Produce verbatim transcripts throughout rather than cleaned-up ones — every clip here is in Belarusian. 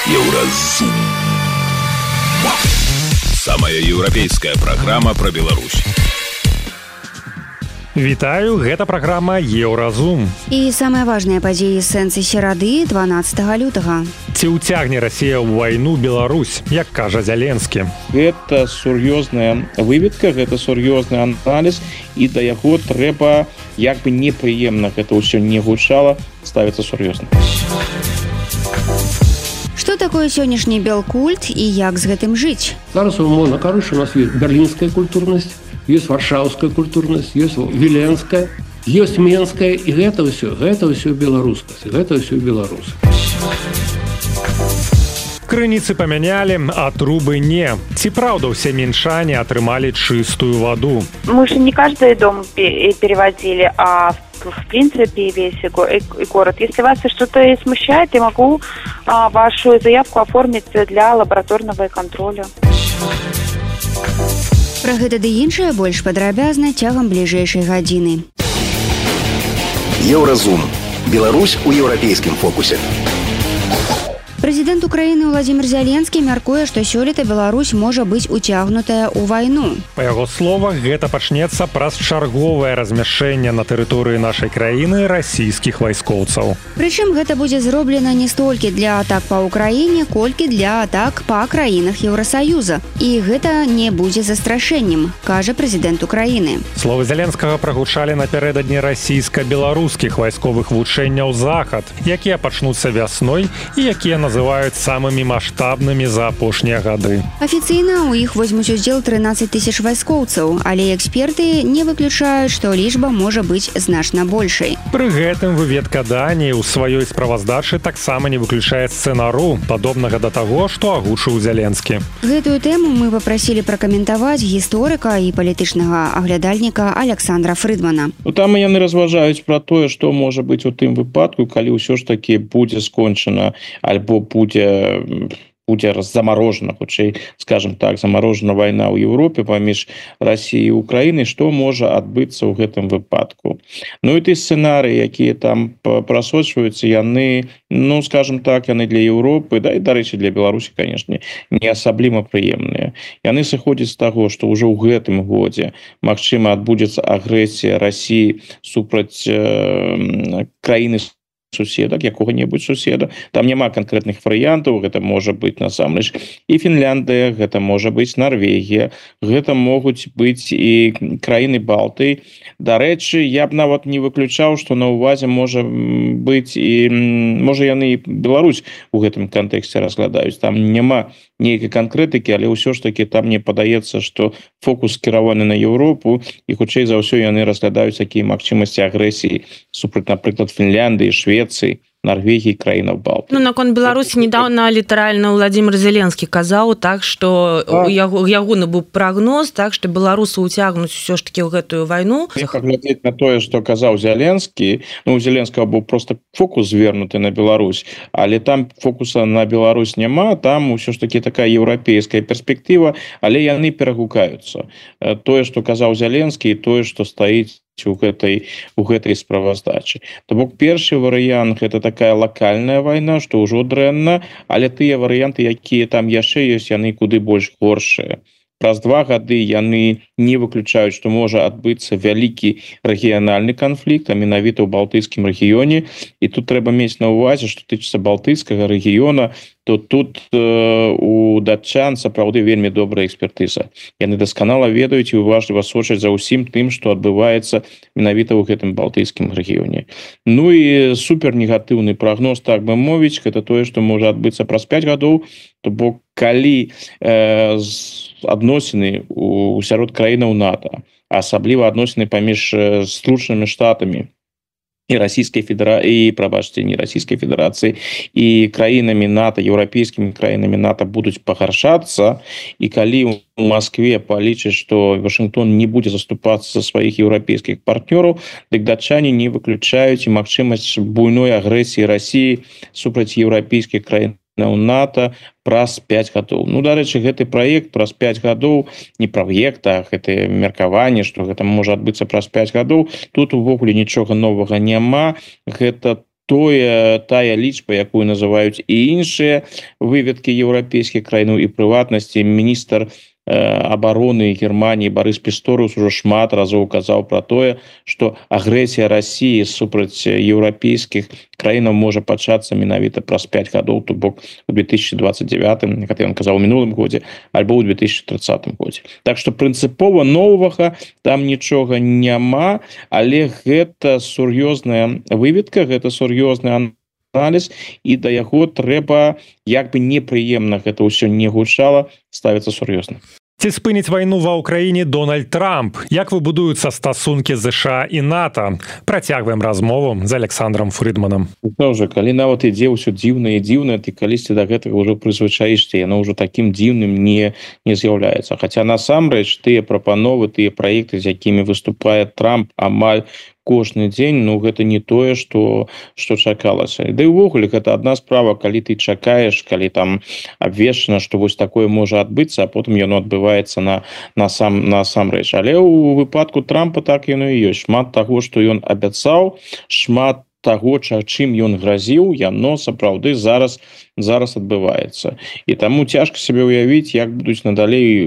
Еўразум. Самая еўрапейская праграма пра Беларусь. Вітаю, гэта праграма Еўразум. І самыя важныя падзеі сэнсы серады дванаццатага лютага. Ці ўцягне Расія ў вайну Беларусь, як кажа Зяленскі? Гэта сур'ёзная выведка, гэта сур'ёзны аналіз, і да яго трэба, як бы непрыемна гэта ўсё не гучала, ставіцца сур'ёзна. Што такое сённяшні белкульт і як з гэтым жыць? Зараз умоўна кажучы, у нас ёсць берлінская культурнасць, ёсць варшаўская культурнасць, ёсць віленская, ёсць менская, і гэта ўсё, гэта ўсё беларускасць, гэта ўсё беларусы. Крыніцы памянялі, а трубы не. Ці правда ўсе мінчане атрымалі чыстую ваду? Мы же не каждый дом переводили, а в принципе весь город. Если вас что-то смущает, я могу а, вашу заявку оформить для лабораторного контроля. Пра гэта ды іншае больш падрабязна цягам бліжэйшай гадзіны. Еўразум. Беларусь у еўрапейскім фокусе. Прэзідэнт Украіны Владзімір Зяленскі мяркуе, што сёлета Беларусь можа быць уцягнутая ў вайну. Па яго словах, гэта пачнецца праз чарговае размяшчэнне на тэрыторыі нашай краіны расійскіх вайскоўцаў. Прычым гэта будзе зроблена не столькі для атак па ўкраіне, колькі для атак па краінах Еўрасаюза. І гэта не будзе застрашэннем, кажа прэзідэнт Украіны. Словы Зяленскага прагучалі напярэдадні расійска-беларускіх вайсковых вучэнняў «Захад», якія пачнуцца вясной і якія называюць самымі маштабнымі за апошнія гады. Афіцыйна ў іх возьмуць удзел трынаццаць тысяч вайскоўцаў, але эксперты не выключаюць, што лічба можа быць значна большай. Пры гэтым выведка Даніі ў сваёй справаздачы таксама не выключае сцэнару, падобнага да таго, што агучыў Зяленскі. Гэтую тэму мы папрасілі пракаментаваць гісторыка і палітычнага аглядальніка Александра Фрыдмана. Ну, там яны разважаюць пра тое, што можа быць у тым выпадку, калі ўсё ж такі будзе скончана альбо будзе будзе замарожана, хутчэй, скажем так, замарожана вайна ў Еўропе паміж Расіяй і Украінай, што можа адбыцца ў гэтым выпадку. Ну і ты сцэнарыі, якія там прасочваюцца, яны, ну, скажем так, яны для Еўропы, да і, дарэчы, для Беларусі, канешне, не асабліва прыемныя. Яны сыходзяць з таго, што ўжо ў гэтым годзе, магчыма, адбудзецца агрэсія Расіі супраць э, краіны суседак, якога-небудзь суседа. Там няма канкрэтных варыянтаў, гэта можа быць насамрэч і Фінляндыя, гэта можа быць Нарвегія, гэта могуць быць і краіны Балтыі. Дарэчы, я б нават не выключаў, што на ўвазе можа быць і можа яны і Беларусь у гэтым кантэксце разглядаюць. Там няма нейкай канкрэтыкі, але ўсё ж такі там мне падаецца, што фокус скіраваны на Еўропу і хутчэй за ўсё яны разглядаюць такія магчымасці агрэсіі супраць, напрыклад, Фінляндыі, Швецыі, Норвегии, краінаў Балтыі. Ну, наконт Беларусі недавно літаральна Владзімір Зеленскі казаў так, што у яго, ягоны быў прагноз, так, што беларусы ўцягнуць усё ж такі ў гэтую вайну. Паглядзець на тое, што казаў Зеленскі, ну, у Зеленскага быў просто фокус звернуты на Беларусь, але там фокуса на Беларусь няма, там усё ж такі такая еўрапейская перспектыва, але яны перагукаюцца. Тое, што казаў Зеленскі, і тое, што стаіць у гэтай, у гэтай справаздачы. То бок першы варыянт гэта такая лакальная вайна, што ўжо дрэнна, але тыя варыянты, якія там яшчэ ёсць, яны куды больш горшыя. Праз два гады яны не выключаюць, што можа адбыцца вялікі рэгіянальны канфлікт, а менавіта ў балтыйскім рэгіёне. І тут трэба мець на ўвазе, што тычыцца балтыйскага рэгіёна, то тут э, у датчан сапраўды вельмі добрая экспертыза. Яны дасканала ведаюць і уважліва сочаць за ўсім тым, што адбываецца менавіта ў гэтым балтыйскім рэгіёне. Ну і супернегатыўны прагноз, так бы мовіць, гэта тое, што можа адбыцца праз пяць гадоў, то бок калі э, адносіны у сярод краінаў НАТО, асабліва адносіны паміж Злучанымі Штатамі і расійскай федэрацыі, прабачце, не расійскай федэрацыі, і краінамі НАТО, еўрапейскімі краінамі НАТО будуць пагаршацца, і калі у Москве палічаць, што Вашынгтон не будзе заступацца за сваіх еўрапейскіх партнёраў, дык датчане не выключаюць і магчымасць буйной агрэсіі Расіі супраць еўрапейскіх краін НАТО праз пяць гадоў. Ну, дарэчы, гэты праект праз пяць гадоў, не праект, а гэта меркаванне, што гэта можа адбыцца праз пяць гадоў, тут увогуле нічога новага няма. Гэта тое тая лічба, якую называюць і іншыя выведкі еўрапейскіх краінаў і прыватнасці міністр обороны Германии Борис Писторус уже шмат разоў казаў про тое, что агрэсія России супраць еўрапейскіх краінаў можа пачацца менавіта праз пять гадоў, то бок у две тысячи двадцать девятым, как ён казаў у мінулым годзе, альбо ў две тысячи тридцатым годзе. Так что прынцыпова новага там нічога няма, але гэта сур'ёзная выведка, гэта сур'ёзны аналіз, і да яго трэба, як бы непрыемна гэта ўсё не гучала, ставіцца сур'ёзна. Ці спыніць вайну ва ўкраіне Дональд Трамп? Як выбудуюцца стасункі ЗША і НАТО? Працягваем размову з Александром Фрыдманам. Уже, калі нават ідзе ўсё дзіўна і дзіўна, ты калісьці да гэтага ўжо прызвычаішся, яно ўжо такім дзіўным не, не з'яўляецца. Хаця насамрэч тыя прапановы, тыя праекты, з якімі выступае Трамп амаль кожны дзень, ну гэта не тое, што што чакалася. Да і ўвогуле гэта адна справа, калі ты чакаеш, калі там абвешчана, што вось такое можа адбыцца, а потым яно адбываецца на на сам насамрэч. Але ў выпадку Трампа так яно і ёсць. Шмат таго, што ён абяцаў, шмат таго, чым ён гразіў, яно сапраўды зараз зараз адбываецца. І таму цяжка сабе ўявіць, як будуць надалей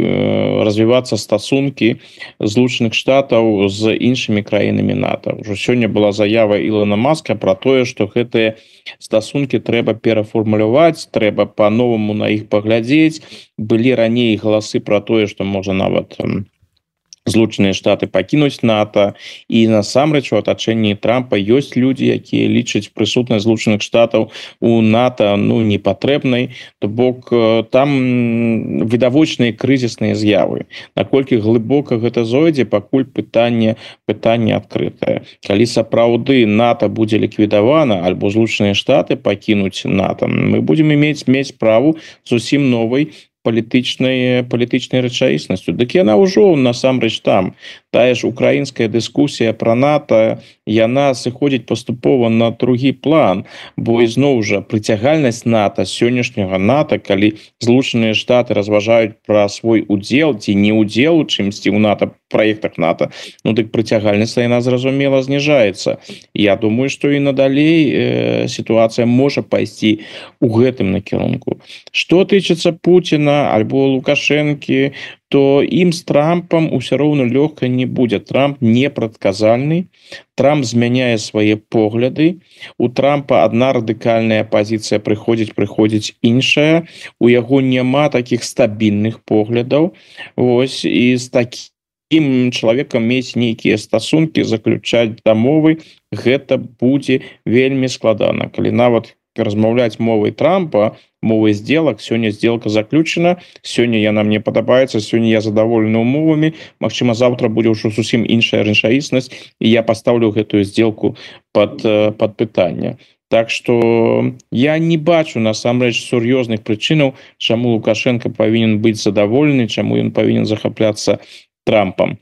развівацца стасункі Злучаных Штатаў з іншымі краінамі НАТО. Ужо сёння была заява Ілона Маска пра тое, што гэтыя стасункі трэба перафармуляваць, трэба па-новаму на іх паглядзець. Былі раней галасы пра тое, што можа нават Злучаныя Штаты пакінуць НАТО, і насамрэч у атачэнні Трампа ёсць людзі, якія лічаць прысутнасць Злучаных Штатаў у НАТО ну непатрэбнай, то бок там відавочныя крызісныя з'явы. Наколькі глыбока гэта зойдзе, пакуль пытанне пытанне адкрытае. Калі сапраўды НАТО будзе ліквідавана альбо Злучаныя Штаты пакінуць НАТО, мы будзем мець мець справу зусім новай палітычнай палітычнай рэчаіснасцю. Дык яна ўжо насамрэч там. Тая ж украінская дыскусія пра НАТО, яна сыходзіць паступова на другі план, бо ізноў жа прыцягальнасць НАТО, сённяшняга НАТО, калі Злучаныя Штаты разважаюць пра свой удзел ці не удзел у чымсьці ў НАТО праектах НАТО, ну дык прыцягальнасць яна зразумела зніжаецца. Я думаю, што і надалей э, сітуацыя можа пайсці ў гэтым накірунку. Што тычыцца Пуціна альбо Лукашэнкі, то ім з Трампам усё роўна лёгка не будзе. Трамп непрадказальны, Трамп змяняе свае погляды, у Трампа адна радыкальная пазіцыя прыходзіць, прыходзіць іншая, у яго няма такіх стабільных поглядаў. Вось, і з такім чалавекам мець нейкія стасункі, заключаць дамовы, гэта будзе вельмі складана. Калі нават размаўляць мовай Трампа, мовай сделак, сёння сделка заключена, сёння яна мне падабаецца, сёння я задаволены умовамі, магчыма, завтра будзе ўжо зусім іншая рэчаіснасць, і я пастаўлю гэтую сделку пад, пад пытанне. Так што я не бачу насамрэч сур'ёзных прычынаў, чаму Лукашенко павінен быць задаволены, чаму ён павінен захапляцца Трампам.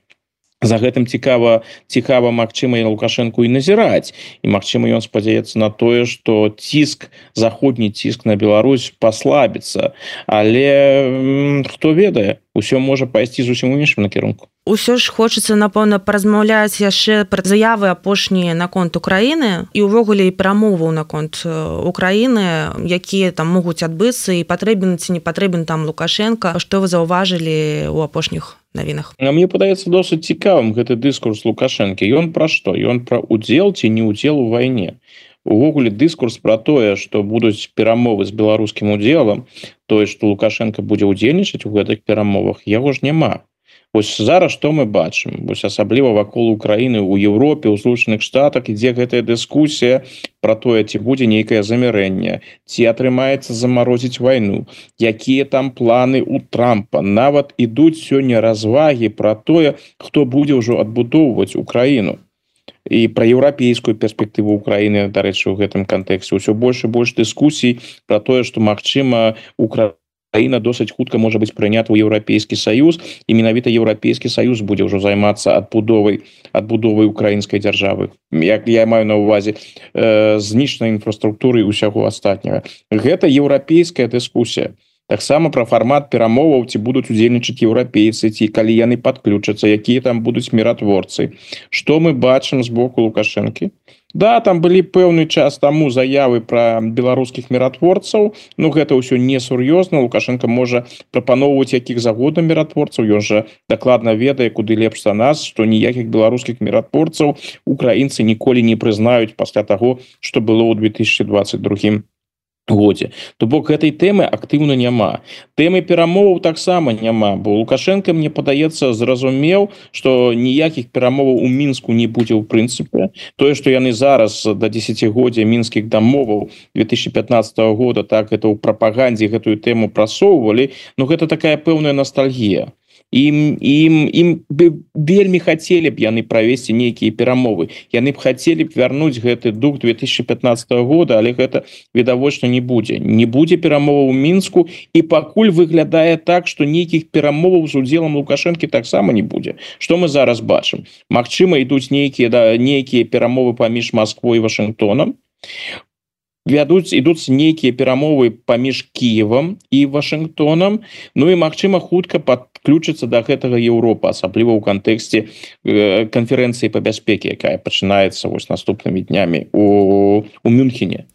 За гэтым цікава, цікава, магчыма, і Лукашэнку і назіраць. І, магчыма, ён спадзяецца на тое, што ціск, заходні ціск на Беларусь паслабіцца. Але хто ведае, усё можа пайсці зусім у іншым накірунку. Усё ж хочацца, напэўна, паразмаўляць яшчэ пра заявы апошнія наконт Украіны і ўвогуле і прамоваў наконт Украіны, якія там могуць адбыцца, і патрэбен ці не патрэбен там Лукашенко. Што вы заўважылі ў апошніх навінах? Мне падаецца досыць цікавым гэты дыскурс Лукашэнкі. Ён пра што? Ён пра удзел ці не удзел у вайне. Увогуле дыскурс пра тое, што будуць перамовы з беларускім удзелам, тое, што Лукашенко будзе ўдзельнічаць у гэтых перамовах, яго ж няма. Вось зараз што мы бачым? Вось асабліва вакол Украіны, у Еўропе, у Злучаных Штатах ідзе гэтая дыскусія пра тое, ці будзе нейкае замірэнне, ці атрымаецца замарозіць вайну, якія там планы у Трампа. Нават ідуць сёння развагі пра тое, хто будзе ўжо адбудоўваць Украіну. І пра еўрапейскую перспектыву Украіны, дарэчы, у гэтым кантэксце. Усё больш і больш дыскусій пра тое, што, магчыма, Украіна Украіна досыць хутка можа быць прынята ў Еўрапейскі Саюз, і менавіта Еўрапейскі Саюз будзе ўжо займацца адбудовай адбудовай украінскай дзяржавы. Як я маю на ўвазе э, знішчанай інфраструктуры і ўсяго астатняга. Гэта еўрапейская дыскусія. Таксама пра фармат перамоваў, ці будуць удзельнічаць еўрапейцы, ці калі яны падключацца, якія там будуць міратворцы. Што мы бачым з боку Лукашэнкі? Да, там былі пэўны час таму заявы пра беларускіх міратворцаў, ну гэта ўсё несур'ёзна. Лукашенко можа прапаноўваць якіх загодна міратворцаў, ён жа дакладна ведае, куды лепш за нас, што ніякіх беларускіх міратворцаў украінцы ніколі не прызнаюць пасля таго, што было ў две тысячи двадцать другім годзе. То бок гэтай тэмы актыўна няма. Тэмы перамоваў таксама няма, бо Лукашенко, мне падаецца, зразумеў, што ніякіх перамоваў у Мінску не будзе ў прынцыпе. Тое, што яны зараз да дзесяцігоддзя мінскіх дамоваў две тысячи пятнадцатого года так гэта ў прапагандзе гэтую тэму прасоўвалі, ну гэта такая пэўная ностальгія. Ім, ім, ім вельмі хацелі б яны правесці нейкія перамовы. Яны б хацелі б вярнуць гэты дух две тысячи пятнадцатого года, але гэта відавочна не будзе. Не будзе перамоваў у Мінску, і пакуль выглядае так, што нейкіх перамоваў з удзелам Лукашэнкі таксама не будзе. Што мы зараз бачым? Магчыма, ідуць нейкія, да, нейкія перамовы паміж Масквой і Вашынгтонам. Вядуць, ідуць нейкія перамовы паміж Кіевам і Вашынгтонам, ну і, магчыма, хутка падключыцца да гэтага Еўропа, асабліва ў кантэксце э, канферэнцыі па бяспеке, якая пачынаецца вось наступнымі днямі у, у Мюнхене.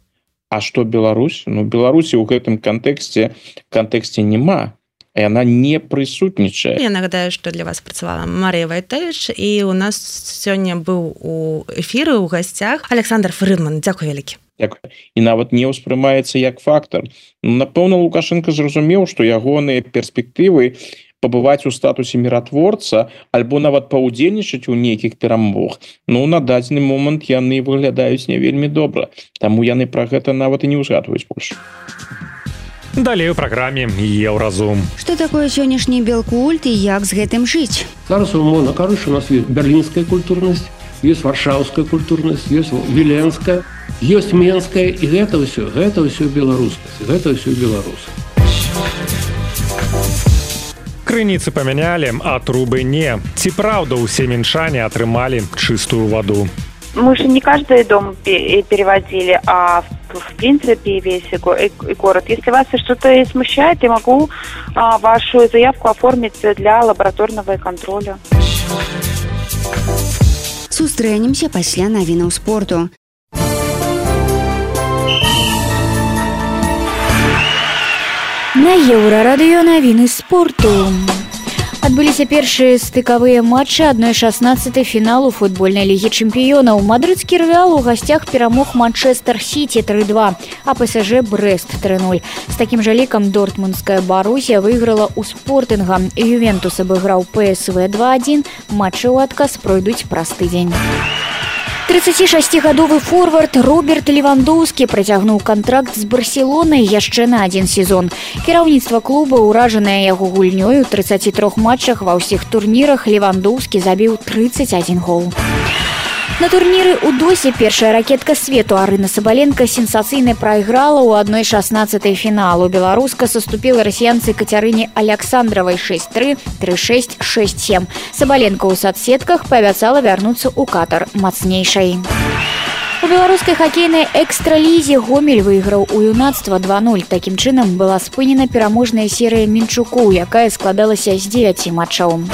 А што Беларусь? Ну, Беларусі ў гэтым кантэксце кантэксце няма. Яна не прысутнічае. Я нагадаю, што для вас працавала Марыя Вайтевіч, і у нас сёння быў у эфіры ў гасцях Александр Фрыдман. Дзякуй вялікі. Дякую. І нават не ўспрымаецца як фактор. Напэўна, Лукашенко зразумеў, што ягоныя перспектывы пабываць у статусе міратворца альбо нават паўдзельнічаць у нейкіх перамовах, ну, на дадзены момант яны выглядаюць не вельмі добра. Таму яны пра гэта нават і не ўзгадваюць больш. Далей у праграме Еўразум. Што такое сённяшні белкульт і як з гэтым жыць? Зараз умоўна кажучи, у нас есть берлинская культурность, есть варшаўская культурность, есть віленская, есть менская, і гэта ўсё, гэта ўсё беларускасць, гэта ўсё беларусы. Крыніцы памянялі, а трубы не. Ці праўда ўсе мінчане атрымалі чыстую ваду? Мы же не каждый дом переводили, а в принципе весь город. Если вас что-то смущает, я могу вашу заявку оформить для лабораторного контроля. Сустрэнемся пасля навінаў спорту. На Еўрарадыё навіны спорту. Адбыліся першыя стыкавыя матчы адной шаснаццатай фіналу футбольнай лігі чэмпіёнаў. Мадрыдскі Рэал у гасцях перамог Манчестер Сіці тры два, а ПСЖ Брэст тры нуль. З такім жа лікам дортмундская Барусія выйграла ў Спортинга. Ювентус абыграў ПСВ два адзін. Матчы ў адказ пройдуць праз тыдзень. трыццацішасцігадовы форвард Роберт Левандоўскі працягнуў кантракт з Барселонай яшчэ на адзін сезон. Кіраўніцтва клуба, ўражанае яго гульнёй, у трыццаці трох матчах ва ўсіх турнірах Левандоўскі забіў трыццаць адзін гол. На турніры ў Досе першая ракетка свету Арына Сабаленка сенсацыйна прайграла ў адной шаснаццатай фіналу. Беларуска саступіла расіянцы Кацярыне Аляксандравай шэсць тры, тры шэсць, шэсць сем. Сабаленка ў садсетках паабяцала вярнуцца ў Катар мацнейшай. У беларускай хакейнай экстралізе Гомель выйграў у юнацтва два нуль. Такім чынам была спынена пераможная серыя Мінчуку, якая складалася з дзевяці матчаў.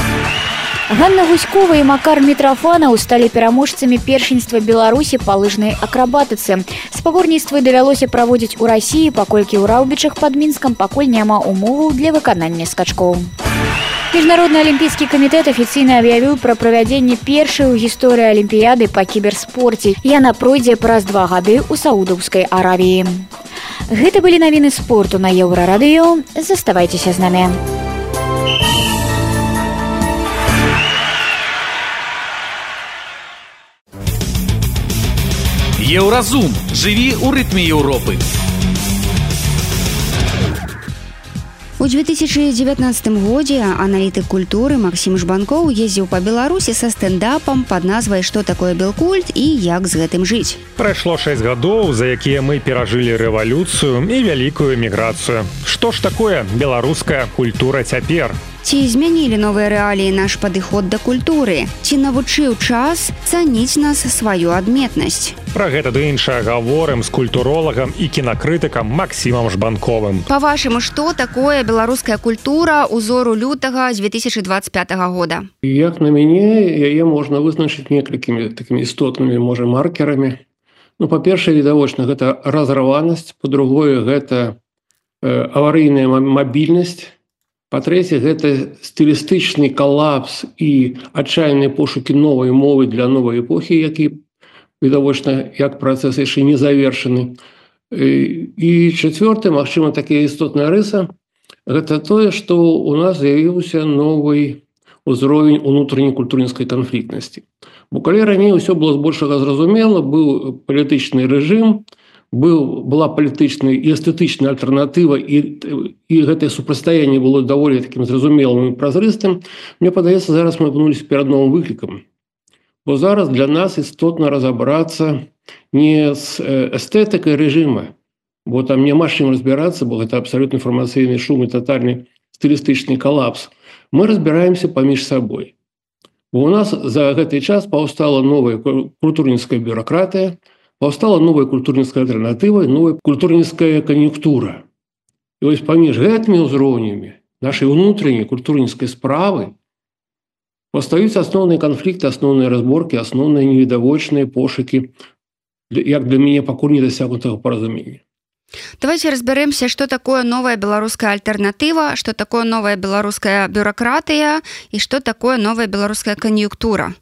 Ганна Гуськова і Макар Мітрафанаў сталі пераможцамі першынства Беларусі па лыжнай акрабатыцы. Спаборніцтвы давялося праводзіць у Расіі, паколькі ў Раўбічах пад Мінскам пакуль няма умоваў для выканання скачкоў. Міжнародны алімпійскі камітэт афіцыйна аб'явіў пра правядзенне першай у гісторыі алімпіяды па кіберспорце. Яна пройдзе праз два гады ў Саудаўскай Аравіі. Гэта былі навіны спорту на Еўрарадыё. Заставайцеся з намі. Еўразум. Жыві ў рытме Еўропы. У две тысячи девятнадцатым годзе аналітык культуры Максім Жбанкоў ездзіў па Беларусі са стэндапам пад назвай «Што такое белкульт» і як з гэтым жыць. Прайшло шэсць гадоў, за якія мы перажылі рэвалюцыю і вялікую эміграцыю. Што ж такое беларуская культура цяпер? Ці змянілі новыя рэаліі наш падыход да культуры? Ці навучыў час цаніць нас сваю адметнасць? Пра гэта ды іншае гаворым з культуролагам і кінакрытыкам Максімам Жбанковым. Па-вашаму, што такое беларуская культура узору лютага две тысячи двадцать пятого года? Як на мяне, яе можна вызначыць некалькімі такімі істотнымі, можа, маркерамі. Ну, па-першае, відавочна, гэта разрыванасць, па-другое, гэта э, аварыйная мабільнасць, па-трэцяе, гэта стылістычны калапс і адчайныя пошукі новай мовы для новай эпохі, які, відавочна, як працэс яшчэ не завершаны. І чацвёртае, магчыма, такая істотная рыса, гэта тое, што ў нас з'явіўся новы ўзровень унутранай культурніцкай канфліктнасці. Бо калі раней усё было збольшага зразумела, быў палітычны рэжым, быў, была палітычная і эстэтычная альтэрнатыва, і, і гэтае супрацьстаянне было даволі такім зразумелым і празрыстым, мне падаецца, зараз мы апынуліся перад новым выклікам. Бо зараз для нас істотна разабрацца не з эстэтыкай рэжыма, бо там няма з чым разбірацца, бо гэта абсалютна інфармацыйны шум і татальны стылістычны калапс. Мы разбіраемся паміж сабой. Бо у нас за гэты час паўстала новая культурніцкая бюракратыя, паўстала новая культурніцкая альтэрнатыва, новая культурніцкая кан'юнктура. І вось паміж гэтымі ўзроўнямі нашай унутранай культурніцкай справы паўстаюць асноўныя канфлікты, асноўныя разборкі, асноўныя невідавочныя пошукі, як для мяне пакуль не дасягнутага паразумення. Давайте разберемся, что такое новая белорусская альтернатива, что такое новая белорусская бюрократия и что такое новая белорусская конъюнктура.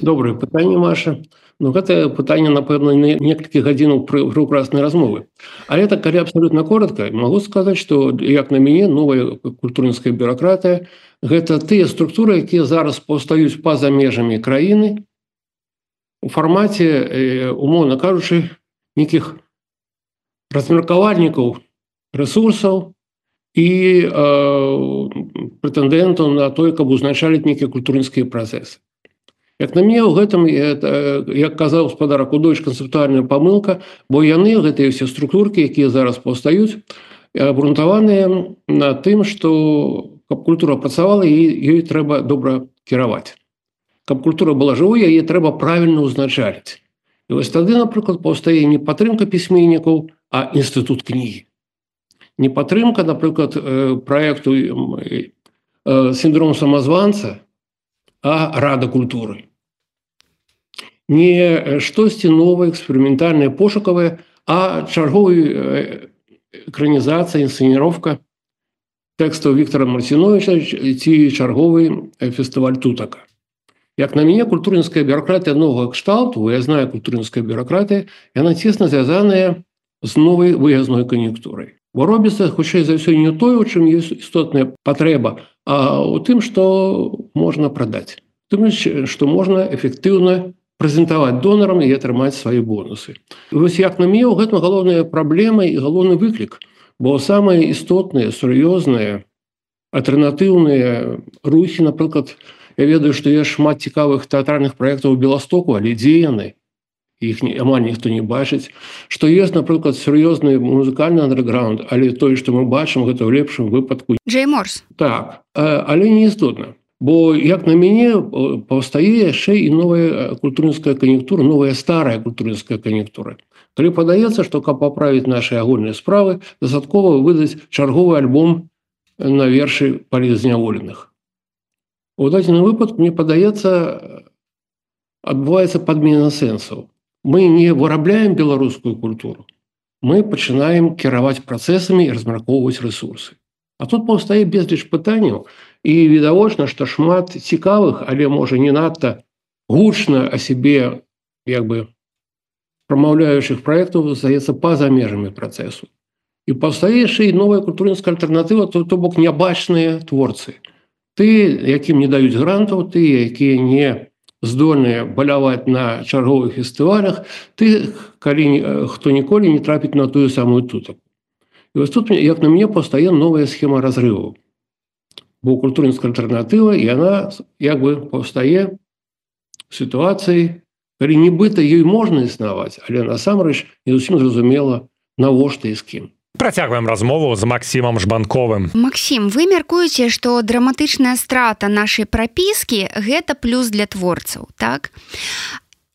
Доброе пытанне, Маша. Ну, гэта пытанне, напэўна, некалькі гадзінаў прекраснай размовы. Але так, калі абсолютно коротко, могу сказаць, што, як на мяне, новая культурніцкая бюрократія – гэта тыя структуры, якія зараз паўстаюць па-за межамі краіны у фармаце, умоўна кажучы, нейкіх размеркавальнікаў рэсурсаў і э, прэтэндэнтаў на тое, каб узначаліць нейкія культурніцкія працэсы. Як на мяне, у гэтым, як казаў гаспадар Акудовіч, канцэптуальная памылка, бо яны, гэтыя ўсе структуркі, якія зараз паўстаюць, абрунтаваныя на тым, што каб культура працавала, ёй трэба добра кіраваць. Каб культура была жывой, яе трэба правільна ўзначаліць. І вось тады, напрыклад, паўстае не падтрымка пісьменнікаў, а інстытут кнігі. Не падтрымка, напрыклад, праекту сіндром самазванца, а рада культуры. Не штосьці новае, эксперыментальнае, пошукавае, а чарговая экранізацыя, інсцэніровка тэкстаў Віктора Марціновіча ці чарговы фестываль тутака. Як на мяне, культурніцкая бюрократія новага кшталту, выязная культурніцкая бюрократія, яна цесна звязаная з новай выязной кан'юнктурай. Бо робіцца, хутчэй за ўсё, не тое, у чым ёсць істотная патрэба, а у тым, што можна прадаць. Тым, што можна эфектыўна прэзентаваць донарам і атрымаць свае бонусы. І вось як на мяне, у гэтым галоўная праблема і галоўны выклік, бо самыя істотныя, сур'ёзныя, альтэрнатыўныя рухі, напрыклад, я ведаю, што ёсць шмат цікавых тэатральных праектаў у Беластоку, але дзе яны? Іх амаль ніхто не бачыць. Што ёсць, напрыклад, сур'ёзны музыкальны андэрграунд, але тое, што мы бачым, гэта ў лепшым выпадку. Джей Морс. Так, але не істотна. Бо, як на мяне, паўстае яшчэ і новая культурніцкая кан'юнктура, новая старая культурніцкая кан'юнктура. Калі падаецца, што каб паправіць нашы агульныя справы, дастаткова выдаць чарговы альбом на вершы палітзняволеных. У дадзеным выпадку, мне падаецца, адбываецца падмена сэнсаў. Мы не вырабляем беларускую культуру, мы пачынаем кіраваць працэсамі і размяркоўваць рэсурсы. А тут паўстае безліч пытанняў, і відавочна, што шмат цікавых, але, можа, не надта гучна о сябе, як бы, прамаўляючых праектаў здаецца па-за межамі працэсу. І паўстае яшчэ і новая культурніцкая альтэрнатыва, то, то бок нябачныя творцы. Ты, якім не даюць грантаў, ты, якія не здольныя баляваць на чарговых фестывалях, ты, калі хто ніколі не трапіць на тую самую тутаку. І вось тут, як на мяне, паўстае новая схема разрываў. Бо культурніцкая альтэрнатыва, яна, як бы, паўстае в сітуацыі, калі нібыта ёй можна існаваць, але насамрэч не зусім зразумела, навошта і з кім. Працягваем размову з Максімам Жбанковым. Максім, вы мяркуеце, што драматычная страта нашай прапіскі – гэта плюс для творцаў, так?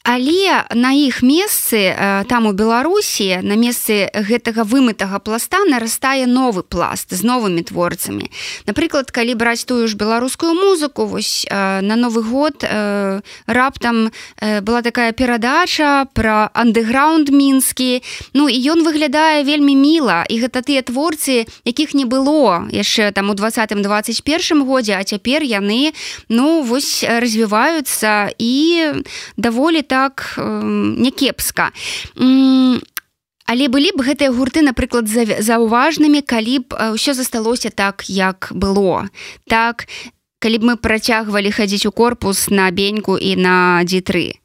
Але на іх месцы, там у Беларусі, на месцы гэтага вымытага пласта нарастае новы пласт з новымі творцамі. Напрыклад, калі браць тую ж беларускую музыку, вось на Новы год раптам была такая перадача пра андэграунд мінскі, ну і ён выглядае вельмі міла, і гэта тыя творцы, якіх не было яшчэ там у двадцатым двадцать першым годзе, а цяпер яны, ну, вось развіваюцца і даволі так так някепска. Але былі б гэтыя гурты, напрыклад, заўважнымі, калі б ўсё засталося так, як было. Так, калі б мы працягвалі хадзіць у корпус на Беньку і на Ді тры.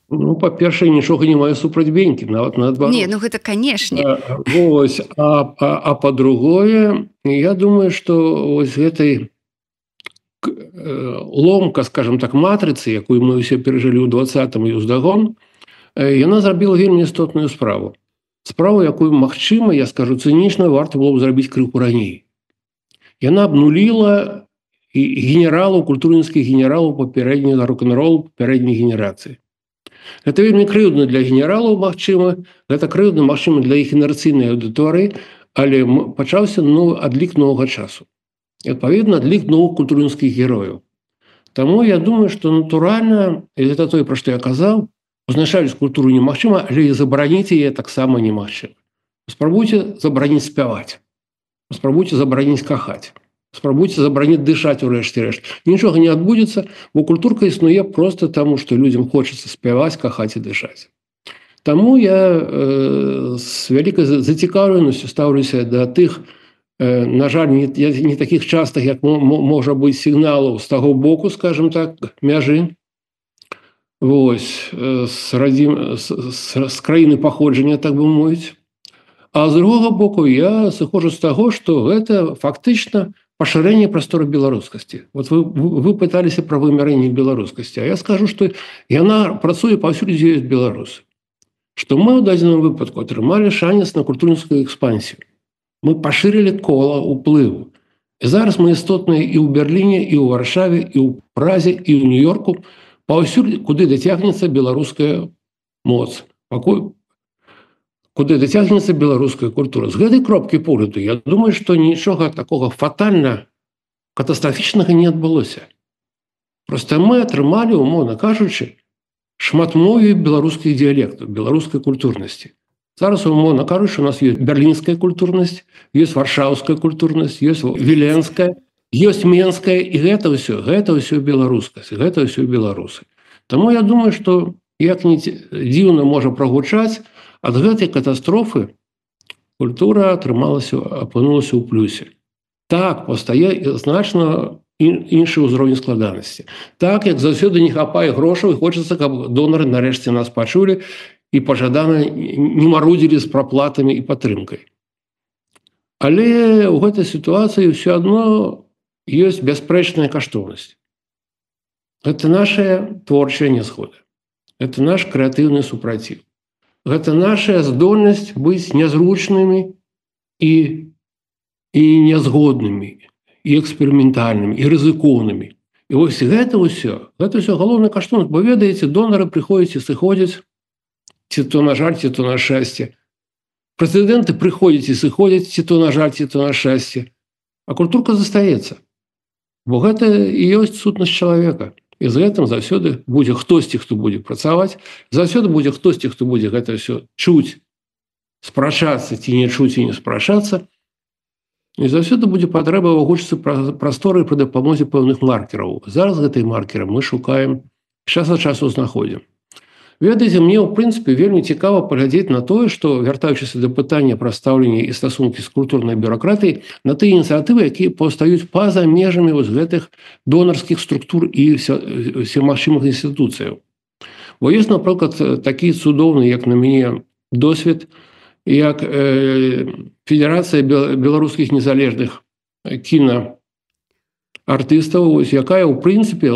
Ну, па-першае, нічога не маю супраць Бенькі, нават наадварот. Не, ну гэта, канешне. А, вось, а, а, а па-другое, я думаю, што вось гэтай ломка, скажем так, матрыцы, якую мы ўсе перажылі ў двадцатым і ўздагон, яна зрабіла вельмі істотную справу. Справу, якую, магчыма, я скажу цынічна, варта было б зрабіць крыху раней. Яна абнуліла генералаў, культурніцкіх генералаў папярэдняга рок-н-ролу папярэдняй генерацыі. Гэта вельмі крыўдна для генералаў, магчыма, гэта крыўдна, магчыма, для іх інерцыйнай аўдыторыі, але пачаўся ну, адлік новага часу. І, адпаведна, адлік новых культурніцкіх герояў. Таму я думаю, што натуральна, і гэта тое, пра што я казаў, узначаліць культуру немагчыма, але і забараніць яе таксама немагчыма. Спрабуйце забараніць спяваць. Спрабуйце забараніць кахаць. Спрабуйце забараніць дышаць у рэшце рэшт. Нічога не адбудзецца, бо культурка існуе проста таму, што людзям хочацца спяваць, кахаць і дышаць. Таму я э, з вялікай зацікаўленасцю стаўлюся да тых, на жаль, не, не таких частых, як можа быць сігналаў з таго боку, скажем так, мяжы. Вось, з, радзім, з, з, з краіны паходжання, так бы мовіць. А з другога боку я сыходжу з таго, што гэта фактычна пашырэнне прасторы беларускасці. Вот вы, вы пыталіся пра вымярэнне беларускасці, а я скажу, што яна працуе паўсюль, дзе ёсць беларусы. Што мы ў дадзеным выпадку атрымалі шанец на культурніцкую экспансію. Мы пашырылі кола ўплыву. І зараз мы істотныя і ў Берліне, і ў Варшаве, і ў Празе, і ў Нью-Йорку, паўсюль, куды дацягнецца беларуская моц, куды дацягнецца беларуская культура. З гэтай кропкі погляду, я думаю, што нічога такога фатальна, катастрафічнага не адбылося. Проста мы атрымалі, умоўна кажучы, шматмове беларускіх дыялектаў, беларускай культурнасці. Зараз, умоўна кажучы, у нас ёсць берлінская культурнасць, ёсць варшаўская культурнасць, ёсць віленская, ёсць менская, і гэта ўсё, гэта ўсё беларускасць, гэта ўсё беларусы. Таму я думаю, што як не дзіўна можа прагучаць, ад гэтай катастрофы культура атрымалася, апынулася ў плюсе. Так, пастае значна іншы ўзровень складанасці. Так, як заўсёды не хапае грошаў, і хочацца, каб донары нарэшце нас пачулі, і пажадана не марудзілі з праплатамі і падтрымкай. Але ў гэтай сітуацыі ўсё адно ёсць бясспрэчная каштоўнасць. Гэта наша творчая нязгода. Гэта наш крэатыўны супраціў. Гэта наша здольнасць быць нязручнымі і, і нязгоднымі, і эксперыментальнымі, і рызыкоўнымі. І вось гэта ўсё, гэта ўсё галоўная каштоўнасць, бо ведаеце, донары прыходзяць і сыходзяць, ці то на жаль, ці то на шчасце. Прэзідэнты прыходзяць і сыходзяць, ці то на жаль, ці то на шчасце. А культурка застаецца. Бо гэта і ёсць сутнасць чалавека. І з гэтым заўсёды будзе хтосьці, хто будзе працаваць, заўсёды будзе хтосьці, хто будзе гэта ўсё чуць, спрачацца, ці не чуць і не спрачацца. І заўсёды будзе патрэба вывучыцца прасторы пры дапамозе пэўных маркераў. Зараз гэтай маркеры мы шукаем, час ад часу знаходзім. Ведаеце, мне, ў прынцыпе, вельмі цікава паглядзець на тое, што, вяртаючыся да пытання пра стаўленне і стасункі з культурнай бюракратыяй, на тыя ініцыятывы, якія паўстаюць па-за межамі вось гэтых донарскіх структур і всемагчымых інстытуцыяў. Бо ёсць, напрыклад, такі цудоўны, як на мяне, досвед, як э, Федэрацыя беларускіх незалежных кіна артыстаў, якая, ў прынцыпе,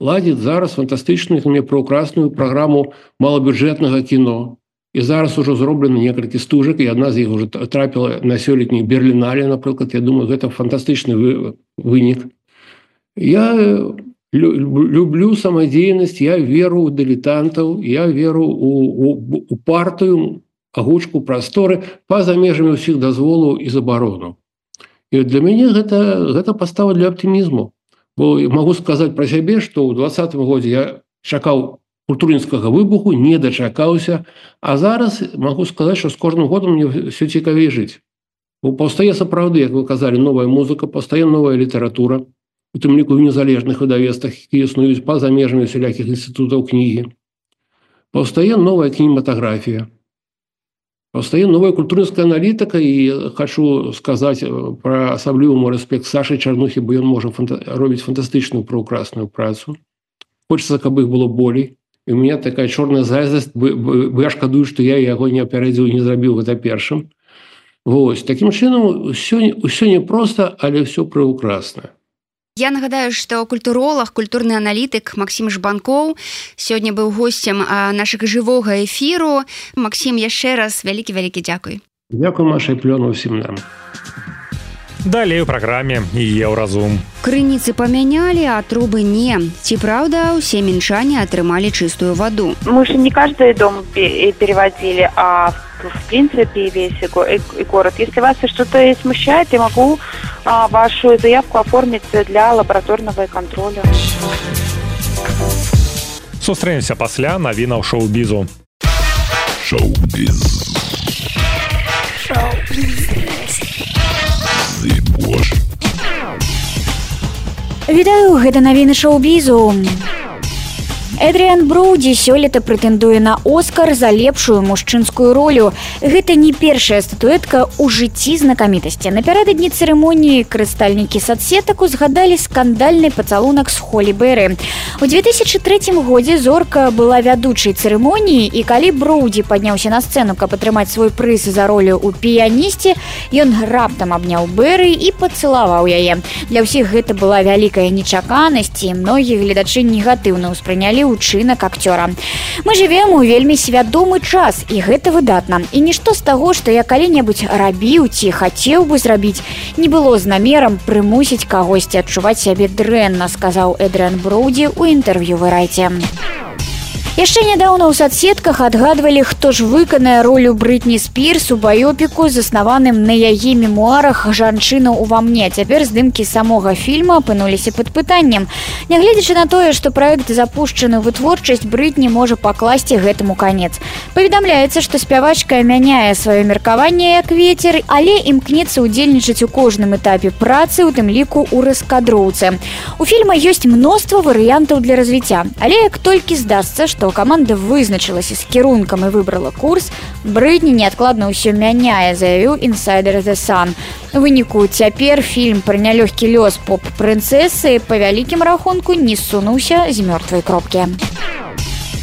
ладзіць зараз фантастычную, мне праўкрасную праграму малабюджэтнага кіно. І зараз ужо зроблена некалькі стужак, і адна з іх уже трапіла на сёлетні Берлінале, напрыклад. Я думаю, гэта фантастычны вынік. Я люблю самадзейнасць, я веру ў дылетантаў, я веру у, у, у партыю, агучку прасторы па-за межамі ўсіх дазволаў і забаронаў. І для мяне гэта, гэта пастава для аптымізму. Бо магу сказаць пра сябе, што ў двадцатым годзе я чакаў культурніцкага выбуху, не дачакаўся, а зараз магу сказаць, што з кожным годам мне ўсё цікавей жыць. Бо паўстае сапраўды, як вы казалі, новая музыка, паўстае новая літаратура, у тым ліку ў незалежных выдавецтвах, якія існуюць па-за межамі усялякіх інстытутаў кнігі. Паўстае новая кінематаграфія. Паўстае новая культурніцкая аналітыка, і хочу сказаць пра асаблівы мой рэспект Сашы Чарнухі, бо ён можа фанта... робіць фантастычную праўкрасную працу. Хочацца, каб іх было болей. І у меня такая чорная зайздрасць, бо я шкадую, што я яго не апярэдзіў і не зрабіў гэта першым. Вось. Такім чынам, ўсё, ўсё не проста, але ўсё прыўкрасна. Я нагадаю, што культуролог, культурны аналітык Максім Жбанкоў сёння быў госцем нашага жывога эфіру. Максім, яшчэ раз вялікі-вялікі дзякуй. Дзякуй, Маша, і плёну ўсім нам. Далей у праграме Еўразум. Крыніцы памянялі, а трубы не. Ці праўда, усе мінчане атрымалі чыстую ваду? Мы же не каждый дом переводили, а в принципе весь и город. Если вас что-то смущает, я могу а, вашу заявку оформить для лабораторного контроля. Сустрэнемся пасля навінаў шоу-бізу. Шоу-біз. Шоу-біз. Вітаю, гэта навіны шоу-бізу. Эдріан Броуді сёлета прэтэндуе на Оскар за лепшую мужчынскую ролю. Гэта не першая статуэтка ў жыцці знакамітасці. Напярэдадні цырымоніі карыстальнікі соцсетак узгадалі скандальны пацалунак з Холі Берри. У две тысячи третьем годзе зорка была вядучай цырымоніі, і калі Броуді падняўся на сцэну, каб атрымаць свой прыз за ролю ў піянісце, ён раптам абняў Берри і пацалаваў яе. Для ўсіх гэта была вялікая нечаканасць, і многія гледачы негатыўна ўспрынялі учынак акцёра. Мы жывем у вельмі свядомы час, і гэта выдатна. І нішто з таго, што я калі-небудзь рабіў ці хацеў бы зрабіць, не было з намерам прымусіць кагосьці адчуваць сябе дрэнна, сказаў Эдріан Броуді ў інтэрв'ю Variety. Яшчэ нядаўна ў соцсетках адгадвалі, хто ж выканае ролю Брытні Спірс у баёпіку, заснаваным на яе мемуарах «Жанчына ўва мне». Цяпер здымкі самога фільма апынуліся пад пытаннем. Нягледзячы на тое, што праект запушчаны ў вытворчасць, Брытні можа пакласці гэтаму канец. Паведамляецца, што спявачка мяняе сваё меркаванне як вецер, але імкнецца ўдзельнічаць у кожным этапе працы, у тым ліку ў раскадроўцы. У фільма ёсць мноства варыянтаў для развіцця, але як толькі здасца, што каманда вызначылася з кірункам і выбрала курс, Брытні неадкладна ўсё мяняе, заявіў інсайдер The Sun. У выніку цяпер фільм пра нялёгкі лёс поп-прынцэсы па вялікім рахунку не ссунуўся з мёртвай кропкі.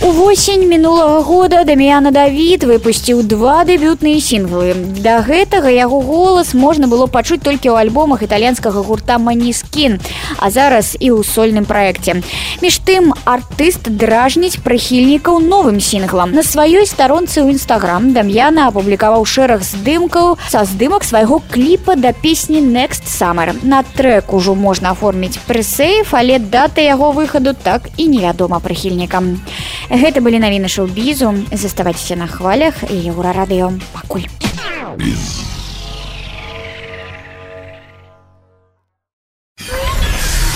Увосень мінулага года Даміяна Давід выпусціў два дэбютныя сінглы. Да гэтага яго голас можна было пачуць толькі ў альбомах італьянскага гурта Måneskin, а зараз і ў сольным праекце. Між тым, артыст дражніць прыхільнікаў новым сінглам. На сваёй старонцы ў Instagram Дам'яна апублікаваў шэраг здымкаў са здымак свайго кліпа да песні Next Summer. На трэк ужо можна аформіць прэсэйф, але дата яго выхаду так і невядома прыхільнікам. Гэта былі навіны шоу-бізу. Заставайцеся на хвалях і Еўрарадыё. Пакуль.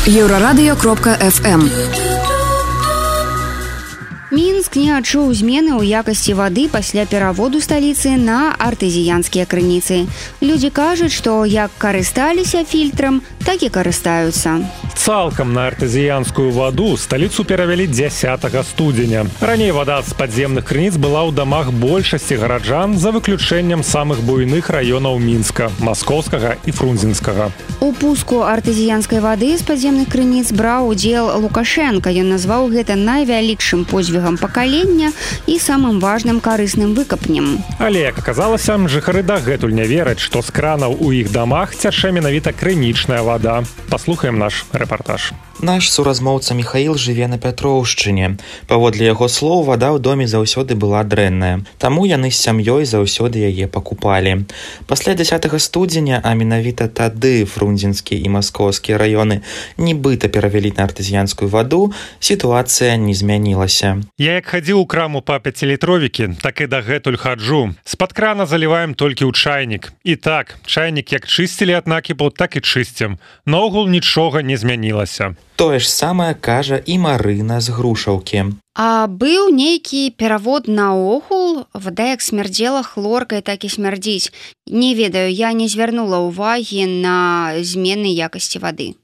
еўрарадыё кропка эф эм. Мінск не адчуў змены ў якасці вады пасля пераводу сталіцы на артэзіянскія крыніцы. Людзі кажуць, што як карысталіся фільтрам, так і карыстаюцца. Цалкам на артэзіянскую ваду сталіцу перавялі дзясятага студзеня. Раней вада з падземных крыніц была ў дамах большасці гараджан, за выключэннем самых буйных раёнаў Мінска, Маскоўскага і Фрунзенскага. У пуску артэзіянскай вады з падземных крыніц браў удзел Лукашенка. Ён назваў гэта найвялікшым подзвігам пакалення і самым важным карысным выкапнем. Але, як аказалася, жыхары дагэтуль не вераць, што з кранаў у іх дамах цячэ менавіта крынічная вада. Паслухаем наш рэпартаж. Наш суразмоўца Михаил жыве на Пятроўшчыне. Паводле яго слоў, вада ў доме заўсёды была дрэнная. Таму яны з сям'ёй заўсёды яе пакупалі. Пасля дзясятага студзеня, а менавіта тады фрунзенскі і маскоўскія раёны нібыта перавялі на артызіянскую ваду, сітуацыя не змянілася. Я як хадзіў у краму па пяцілітровікі, так і дагэтуль хаджу. З-пад крана заліваем толькі ў чайнік. І так, чайнік як чысцілі ад накіпу, так і чысцім. Наогул нічога не змянілася. Тое ж самае кажа і Марына з Грушаўкі. А быў нейкі перавод наогул? Вада як смярдзела хлоркай, так і смярдзіць. Не ведаю, я не звярнула ўвагі на змены якасці вады.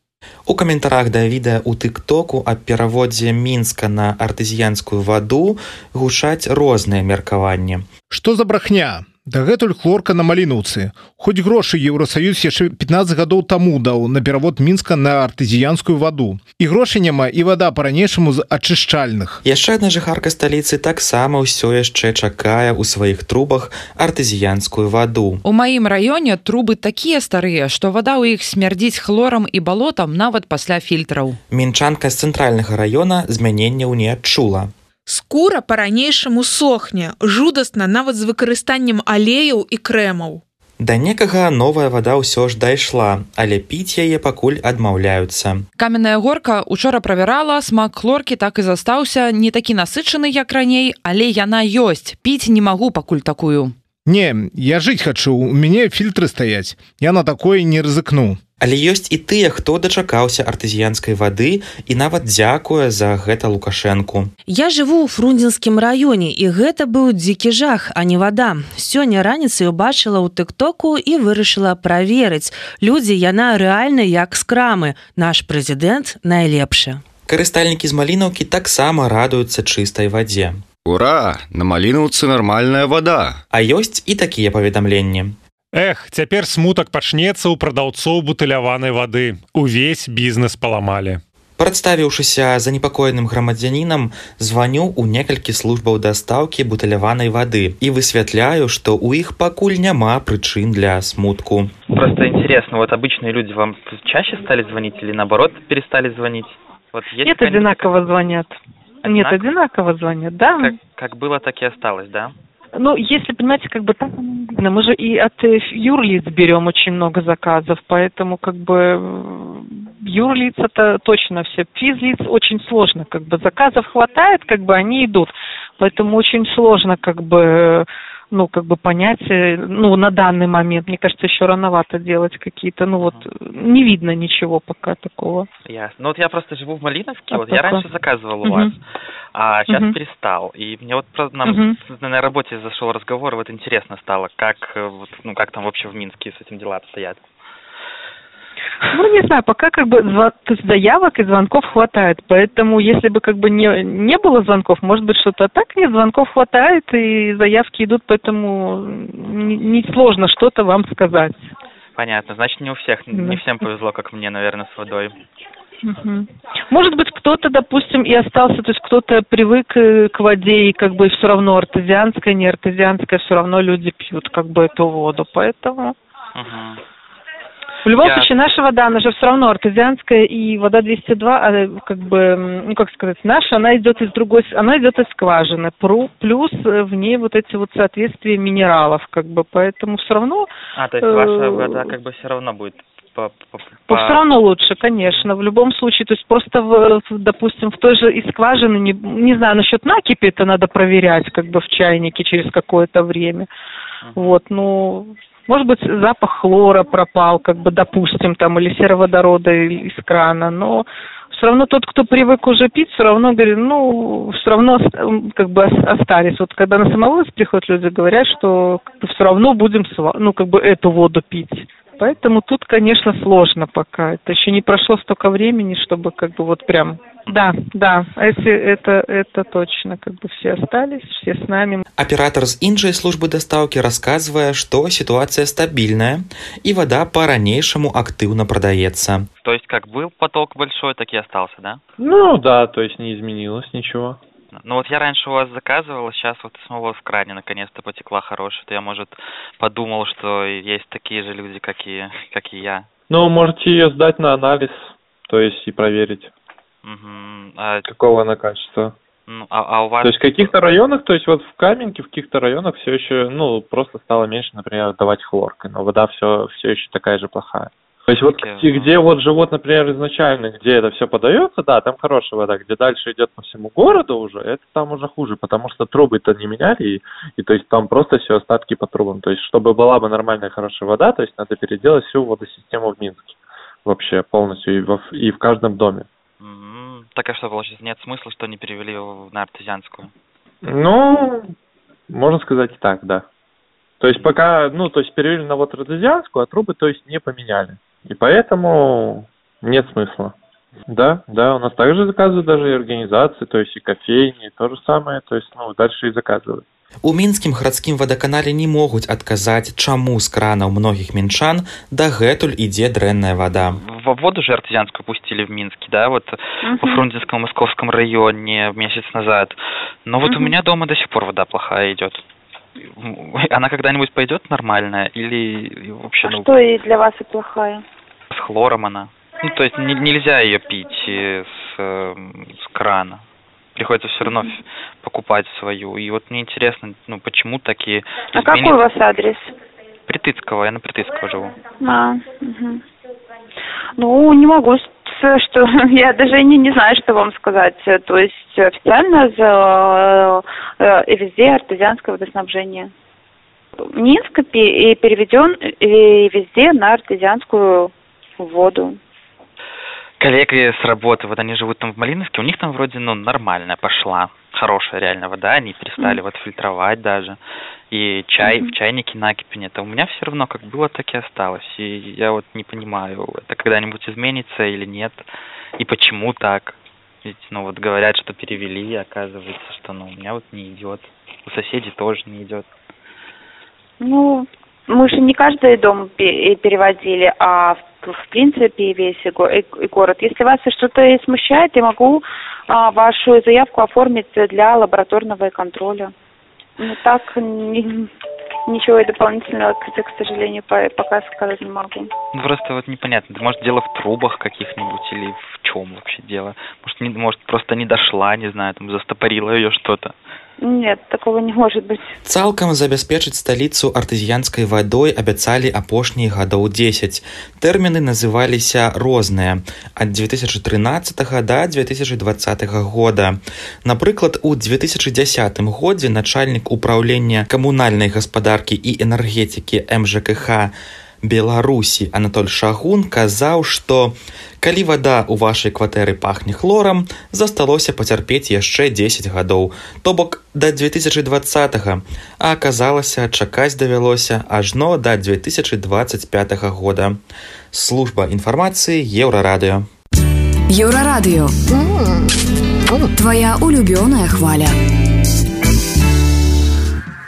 У каментарах да відэа ў тык-току аб пераводзе Мінска на артызіянскую ваду гучаць розныя меркаванні. Што за брахня? Дагэтуль хлорка на Малінаўцы. Хоць грошы Еўрасаюз яшчэ пятнаццаць гадоў таму даў на перавод Мінска на артызіянскую ваду. І грошай няма, і вада па-ранейшаму з ачышчальных. Яшчэ адна жыхарка сталіцы таксама ўсё яшчэ чакае ў сваіх трубах артызіянскую ваду. У маім раёне трубы такія старыя, што вада ў іх смярдзіць хлорам і балотам нават пасля фільтраў. Мінчанка з цэнтральнага раёна змяненняў не адчула. Скура па-ранейшаму сохне, жудасна нават з выкарыстаннем алеяў і крэмаў. Да некага новая вада ўсё ж дайшла, але піць яе пакуль адмаўляюцца. Каменная горка учора правярала, смак хлоркі так і застаўся, не такі насычаны, як раней, але яна ёсць. Піць не магу пакуль такую. Не, я жыць хачу, у мяне фільтры стаяць. Я на такое не рызыкну. Але ёсць і тыя, хто дачакаўся артызіянскай вады і нават дзякуе за гэта Лукашэнку. Я жыву ў фрунзенскім раёне, і гэта быў дзікі жах, а не вада. Сёння раніцай убачыла ў тык-току і вырашыла праверыць. Людзі, яна рэальна як з крамы. Наш прэзідэнт найлепшы. Карыстальнікі з Малінаўкі таксама радуюцца чыстай вадзе. Ура! На Малінаўцы нармальная вада. А ёсць і такія паведамленні. Эх, цяпер смутак пачнецца ў прадаўцоў бутыляванай вады. Увесь бізнес паламалі. Прадставіўшыся занепакоеным грамадзянінам, званю ў некалькі службаў дастаўкі бутыляванай вады і высвятляю, што ў іх пакуль няма прычын для смутку. Просто интересно, вот обычные люди вам чаще стали звонить или наоборот перестали звонить? Вот есть Нет, одинаково звонят. Нет, одинаково звонят, да. Как, как было, так и осталось, да? Ну, если, понимаете, как бы так, мы же и от юрлиц берем очень много заказов, поэтому как бы юрлиц-то точно все. Физлиц очень сложно, как бы заказов хватает, как бы они идут, поэтому очень сложно, как бы, ну, как бы понять, ну, на данный момент, мне кажется, еще рановато делать какие-то, ну, вот, не видно ничего пока такого. Ясно. Ну, вот я просто живу в Малиновке, а вот я раньше заказывал у вас, а сейчас uh-huh. перестал. И мне вот нам uh-huh. на работе зашел разговор, вот интересно стало, как, вот, ну, как там вообще в Минске с этим дела обстоят. Ну, не знаю, пока как бы заявок и звонков хватает, поэтому если бы как бы не, не было звонков, может быть что-то, а так нет, звонков хватает и заявки идут, поэтому не, не сложно что-то вам сказать. Понятно, значит не у всех, да. Не всем повезло, как мне, наверное, с водой. Угу. Может быть, кто-то, допустим, и остался, то есть кто-то привык к воде, и как бы все равно артезианская, не артезианская, все равно люди пьют как бы эту воду, поэтому... Угу. В любом Я... случае, наша вода, она же все равно артезианская, и вода двести два, а, как бы, ну, как сказать, наша, она идет из другой, она идет из скважины, плюс в ней вот эти вот соответствия минералов, как бы, поэтому все равно... А, то есть ваша вода как бы все равно будет... По, по, по... Все равно лучше, конечно, в любом случае, то есть просто, в, допустим, в той же из скважины, не, не знаю, насчет накипи это надо проверять, как бы в чайнике через какое-то время, uh-huh. вот, ну... Может быть, запах хлора пропал, как бы, допустим, там, или сероводорода из крана, но все равно тот, кто привык уже пить, все равно говорит, ну, все равно как бы остались. Вот когда на самовывоз приходят люди, говорят, что как бы, все равно будем, ну, как бы, эту воду пить. Поэтому тут, конечно, сложно пока. Это еще не прошло столько времени, чтобы как бы вот прям... Да, да, если это, это точно, как бы все остались, все с нами. Оператор з іншай службы дастаўкі расказвае, што ситуация стабильная и вода по-ранейшаму активно продается. То есть как был поток большой, так и остался, да? Ну да, то есть не изменилось ничего. Ну вот я раньше у вас заказывал, сейчас вот снова в кране наконец-то потекла хорошая. То я, может, подумал, что есть такие же люди, как и, как и я. Ну, можете ее сдать на анализ, то есть и проверить. Угу. А... Какого она качества? Ну, а, а у вас... То есть в каких-то районах, то есть вот в Каменке, в каких-то районах все еще, ну, просто стало меньше, например, давать хлоркой, но вода все, все еще такая же плохая. То есть вот okay. где, где вот живут, например, изначально, где это все подается, да, там хорошая вода, где дальше идет по всему городу уже, это там уже хуже, потому что трубы-то не меняли, и, и то есть там просто все остатки по трубам. То есть чтобы была бы нормальная хорошая вода, то есть надо переделать всю водосистему в Минске вообще полностью и, во, и в каждом доме. Mm-hmm. Так а что, получается, нет смысла, что не перевели на артезианскую? Ну, можно сказать и так, да. То есть пока, ну, то есть перевели на вот артезианскую, а трубы, то есть, не поменяли. И поэтому нет смысла. Да, да, у нас также заказывают даже и организации, то есть и кофейни, то же самое, то есть, ну, дальше и заказывают. У мінскім гарадскім вадаканале не могуць адказаць, чаму з кранаў многіх мінчан дагэтуль ідзе дрэнная вода. Во воду же артезианскую пустили в Минске, да, вот uh-huh. во Фрунзенском Московском районе месяц назад. Но вот uh-huh. у меня дома до сих пор вода плохая идет. Она когда-нибудь пойдет нормальная или вообще... А ну, что и для вас и плохая? С хлором она. Ну, то есть не, нельзя ее пить с, с крана. Приходится все равно покупать свою. И вот мне интересно, ну, почему такие... А какой у вас адрес? Притыцкого, я на Притыцкого живу. А, угу. Ну, не могу, что я даже не, не знаю, что вам сказать. То есть официально за, э, везде артезианское водоснабжение. Минск и переведен и везде на артезианскую воду. Коллеги с работы, вот они живут там в Малиновке, у них там вроде, ну, нормальная пошла, хорошая реально вода, они перестали mm-hmm. вот фильтровать даже, и чай mm-hmm. в чайнике накипи-то. У меня все равно как было, так и осталось, и я вот не понимаю, это когда-нибудь изменится или нет, и почему так. Ведь, ну, вот говорят, что перевели, оказывается, что, ну, у меня вот не идет, у соседей тоже не идет. Ну, мы же не каждый дом переводили, а в принципе весь город. Если вас что-то смущает, я могу а, вашу заявку оформить для лабораторного контроля. Но так ни, ничего дополнительного, к, к сожалению, пока сказать не могу. Ну, просто вот непонятно. Может, дело в трубах каких-нибудь или в чем вообще дело? Может, не, может просто не дошла, не знаю, там застопорило ее что-то. Нет, такого не может быть. Цалкам забяспечыць сталіцу артезіянскай вадой абяцалі апошнія гадоў дзесяць. Тэрміны называліся розныя ад дзве тысячы трынаццатага да дзве тысячы дваццатага года. Напрыклад, у дзве тысячы дзясятым годзе начальнік управлення камунальнай гаспадаркі і энергетыкі эм жэ ка ха Беларусі Анатоль Шагун казаў, што калі вада ў вашай кватэры пахне хлорам, засталося пацярпець яшчэ дзесяць гадоў, то бок да дзве тысячы дваццатага, а аказалася, чакаць давялося ажно да дзве тысячы дваццаць пятага года. Служба інфармацыі Еўрарадыё. Еўрарадыё. Твая улюбёная хваля.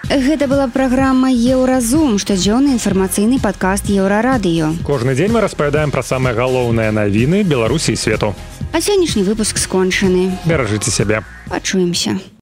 Гэта была праграма Еўразум, штодзённы інфармацыйны падкаст Еўрарадыё. Кожны дзень мы распавядаем пра самыя галоўныя навіны Беларусі і свету. А сённяшні выпуск скончаны. Беражыце сябе. Пачуемся.